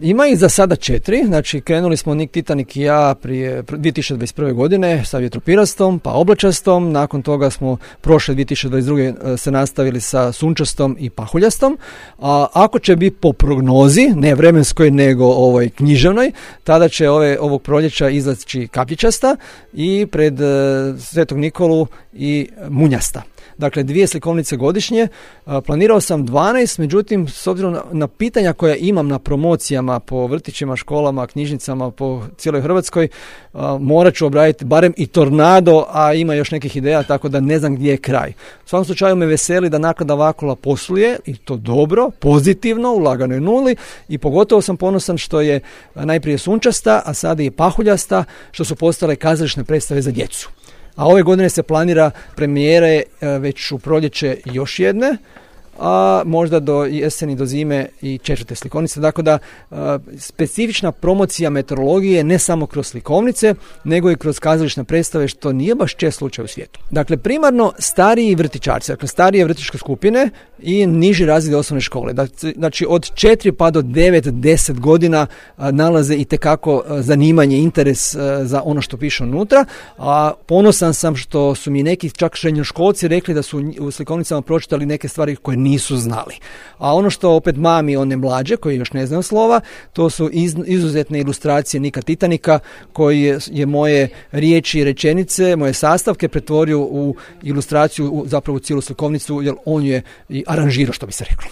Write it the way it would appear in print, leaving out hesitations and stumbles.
Ima ih za sada 4, znači krenuli smo Nik, Titanik i ja prije 2021. godine sa vjetropirastom, pa oblačastom, nakon toga smo prošle 2022. se nastavili sa sunčastom i pahuljastom. A ako će biti po prognozi, ne vremenskoj nego književnoj, tada će ovog proljeća izaći kapljičasta i pred Svetog Nikolu i munjasta. Dakle, 2 slikovnice godišnje. Planirao sam 12, međutim, s obzirom na pitanja koja imam na promocijama po vrtićima, školama, knjižnicama po cijeloj Hrvatskoj, morat ću obraditi barem i Tornado, a ima još nekih ideja, tako da ne znam gdje je kraj. U svakom slučaju me veseli da Naklada Vakula posluje, i to dobro, pozitivno, u laganoj nuli, i pogotovo sam ponosan što je najprije sunčasta, a sada i pahuljasta, što su postale kazališne predstave za djecu. A ove godine se planira premijere već u proljeće još jedne, a možda do jeseni, do zime i 4. slikovnice. Dakle, da specifična promocija meteorologije ne samo kroz slikovnice, nego i kroz kazališne predstave, što nije baš čest slučaj u svijetu. Dakle, primarno stariji vrtićarci, dakle starije vrtićke skupine i niži razredi osnovne škole. Znači, od 4 pa do 9-10 godina nalaze i tekako zanimanje, interes za ono što piše unutra. A ponosan sam što su mi neki čak srednjoškolci rekli da su u slikovnicama pročitali neke stvari koje nisu znali. A ono što opet mami one mlađe, koji još ne znaju slova, to su izuzetne ilustracije Nika Titanika, koji je moje riječi i rečenice, moje sastavke pretvorio u ilustraciju, zapravo u cijelu slikovnicu, jer on je i aranžirao, što bi se reklo.